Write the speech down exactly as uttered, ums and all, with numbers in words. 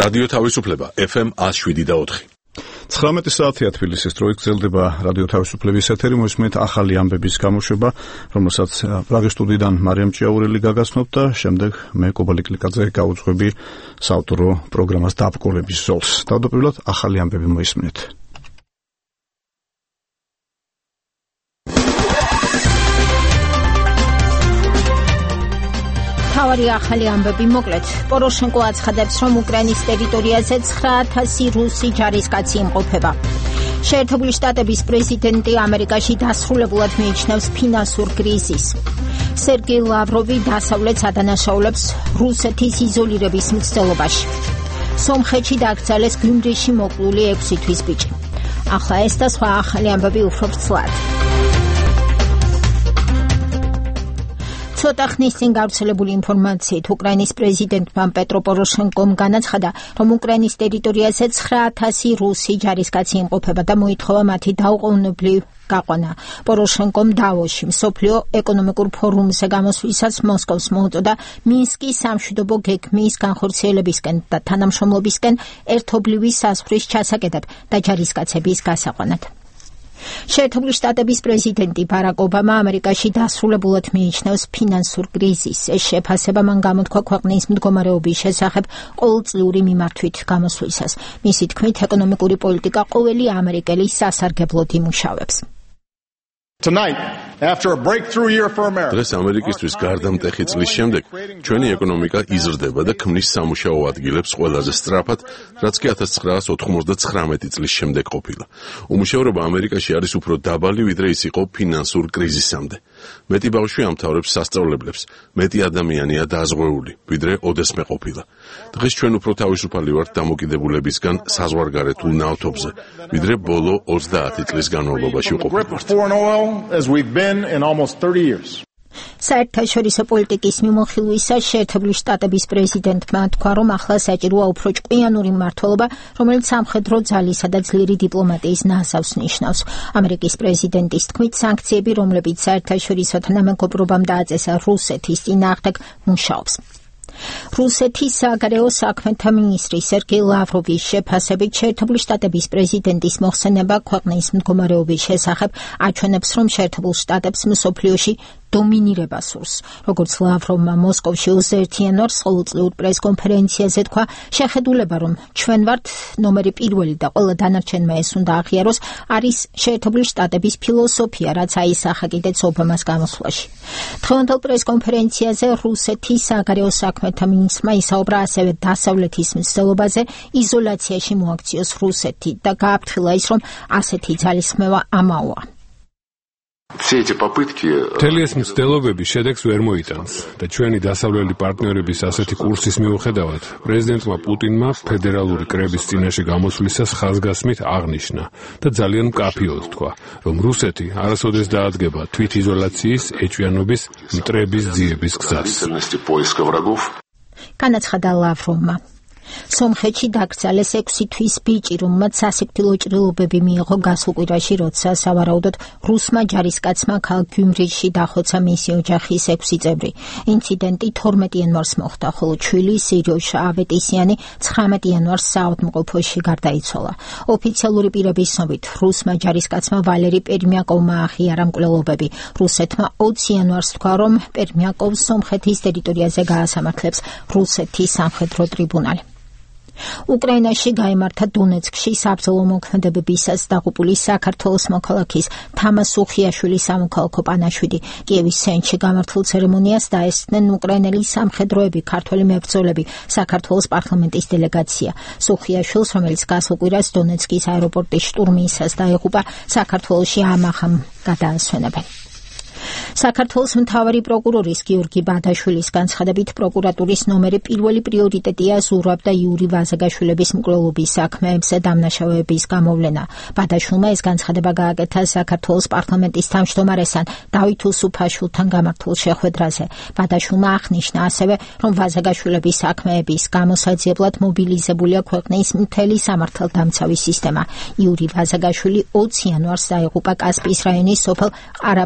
რადიო თავისუფლება ეფ ემ one oh seven და four. ცხრამეტი საათია თბილისის დროით გრძელდება რადიო თავისუფლების ეთერი, მოსმენთ ახალი ამბების გამოშვება, რომელსაც პრაღის სტუდიიდან მარიამ ჭიაურელი გაგაცნობ და შემდეგ მე კობალი კლიკაძე გავუძღვები საავტორო პროგრამას დაბრკოლების ზოლს. თავდაპირველად ახალი ამბები მოისმენთ. თავარი ახალი ამბები მოკლედ. პოროშენკო აცხადებს, რომ უკრაინის ტერიტორიაზე ცხრა ათასი რუსი ჯარისკაცი იმყოფება. შეერთებული შტატების პრეზიდენტი ამერიკაში დასრულებულად მიიჩნევს ფინანსურ კრიზისს. სერგეი ლავროვი დასავლეთს ადანაშაულებს რუსეთის იზოლირების მცდელობაში. სომხეთში დაკრძალეს გიუმრიში მოკლული ექვსი თვის ბიჭი. ახლა ეს და სხვა ახალი ამბები უფრო ვრცლად. ცოტა ხნის წინ გავრცელებული ინფორმაციით უკრაინის პრეზიდენტმა პეტრო პოროშენკომ განაცხადა, რომ უკრაინის ტერიტორიაზე ცხრა ათასი რუსი ჯარისკაცი იმყოფება და მოითხოვა მათი დაუყოვნებლივ გაყვანა. პოროშენკომ დავოში მსოფლიო ეკონომიკურ ფორუმზე გამოსვლისას მოსკოვს მოუწოდა მინსკის სამშვიდობო გეგმის განხორციელებისკენ და თანამშრომლობისკენ ერთობლივი საზღვრის ჩასაკეთად და ჯარისკაცების გასაყვანად. შეერთებული შტატების პრეზიდენტი ბარაკ ობამა ამერიკაში დასრულებულად მიიჩნევს ფინანსურ კრიზისს. ეს შეფასება მან გამოთქვა ქვეყნის მდგომარეობის შესახებ ყოველწლიური მიმართვით გამოსვლისას. მისი თქმით, ეკონომიკური პოლიტიკა ყოველი ამერიკელი სასარგებლოდ იმუშავებს. Tonight, after a breakthrough year for America, დღეს ამერიკისთვის გარდამტეხი წლის შემდეგ ჩვენი ეკონომიკა იზრდება და ქმნის სამუშაო ადგილებს ყველაზე სწრაფად, რაც კი one thousand nine hundred ninety-nine წლის შემდეგ ყოფილა. უმუშევრობა ამერიკაში არის უფრო დაბალი, ვიდრე ის იყო ფინანსურ კრიზისამდე. მეტი ბავშვი ამთავრებს სასწავლებლებს, მეტი ადამიანია დაზღვეული, ვიდრე ოდესმე ყოფილა. დღეს ჩვენ უფრო თავისუფალი ვართ დამოკიდებულებისგან საზღვარგარეთულ ნავთობზე, ვიდრე ბოლო ოცდაათი წლის განმავლობაში ვყოფილვართ. as we've been in almost thirty years. საერთაშორისო პოლიტიკის მიმოხილვისას შეერთებული შტატების პრეზიდენტმა თქვა, რომ ახლა საჭიროა უფრო ჭკვიანური მმართველობა, რომელიც სამხედრო ძალისა და ძლიერი დიპლომატიის ნაზავს ნიშნავს. ამერიკის პრეზიდენტის თქმით, სანქციები, რომლებიც საერთაშორისო თანამეგობრობამ დააწესა რუსეთის წინააღმდეგ, მუშაობს. რუსეთის საგარეო საქმეთა მინისტრი სერგეი ლავროვის შეფასებით, შეერთებული შტატების პრეზიდენტის მოხსენება ქვეყნის მდგომარეობის შესახებ აჩვენებს, რომ შეერთებულ შტატებს მსოფლიოში დომინირება სურს. როგორც ლავროვმა მოსკოვში ოცდაერთი იანვარს ყოველწლიურ პრესკონფერენციაზე თქვა, შეხედულება, რომ ჩვენ ვართ ნომერი პირველი და ყველა დანარჩენმა ეს უნდა აღიაროს, არის შეერთებული შტატების ფილოსოფია, რაც აისახა კიდეც ობამას გამოსვლაში. დღევანდელ პრესკონფერენციაზე რუსეთის საგარეო საქმეთა მინისტრმა ისაუბრა ასევე დასავლეთის მცდელობაზე იზოლაციაში მოაქციოს რუსეთი და გააფრთხილა ის, რომ ასეთი ძალისხმევა ამაოა. მთელი ეს მცდელობები შედეგს ვერ მოიტანს და ჩვენი დასავლელი პარტნიორების ასეთი კურსის მიუხედავად პრეზიდენტმა პუტინმა ფედერალური კრების წინაშე გამოსვლისას ხაზგასმით აღნიშნა და ძალიან მკაფიოდ თქვა, რომ რუსეთი არასოდეს დაადგება თვითიზოლაციის, ეჭვიანობის, მტრების ძიების გზას. განაცხადა ლავროვმა. სომხეთში დაკრძალეს ექვსი თვის ბიჭი, რომელმაც სასიკვდილო ჭრილობები მიიღო გასულ კვირაში, როცა სავარაუდოდ რუსმა ჯარისკაცმა ქალაქ გიუმრიში დახოცა მისი ოჯახის ექვსი წევრი. ინციდენტი თორმეტი იანვარს მოხდა, ხოლო ჩვილი სირიოშა ავეტისიანი ცხრამეტი იანვარს საავადმყოფოში გარდაიცვალა. ოფიციალური პირების ცნობით, რუსმა ჯარისკაცმა ვალერი პერმიაკოვმა აღიარა მკვლელობები. რუსეთმა ოცი იანვარს თქვა, რომ პერმიაკოვს სომხეთის ტერიტორიაზე გაასამართლებს რუსეთის სამხედრო ტრიბუნალი. უკრაინაში გაიმართა დონეცკში საბრძოლო მოქმედებებისას დაღუპული საქართველოს მოქალაქის თამას უხიაშვილის სამოქალაქო პანაშვიდი. კიევის ცენტრში გამართულ ცერემონიას დაესწრნენ უკრაინელი სამხედროები, ქართველი მებრძოლები, საქართველოს პარლამენტის დელეგაცია. სუხიაშვილს, რომელიც გასულ კვირას დონეცკის აეროპორტის შტურმისას დაეღუპა, საქართველოში ამახამ გადაასვენებენ. საქართველოს მთავარი პროკურორის გიორგი ბადაშვილის განცხადებით, პროკურატურის ნომერი პირველი პრიორიტეტია ზურაბ და იური ვაზაგაშვილების მკვლელობის საქმეებზე დამნაშავეების გამოვლენა. ბადაშვილმა ეს განცხადება გააკეთა საქართველოს პარლამენტის თავმჯდომარესთან დავით უსუფაშვილთან გამართულ შეხვედრაზე. ბადაშვილმა აღნიშნა ასევე, რომ ვაზაგაშვილების საქმეების გამოსაძიებლად მობილიზებულია ქვეყნის მთელი სამართალდამცავი სისტემა. იური ვაზაგაშვილი ოცი იანვარს დაეღუპა კასპიის რაიონის სოფელ ყარა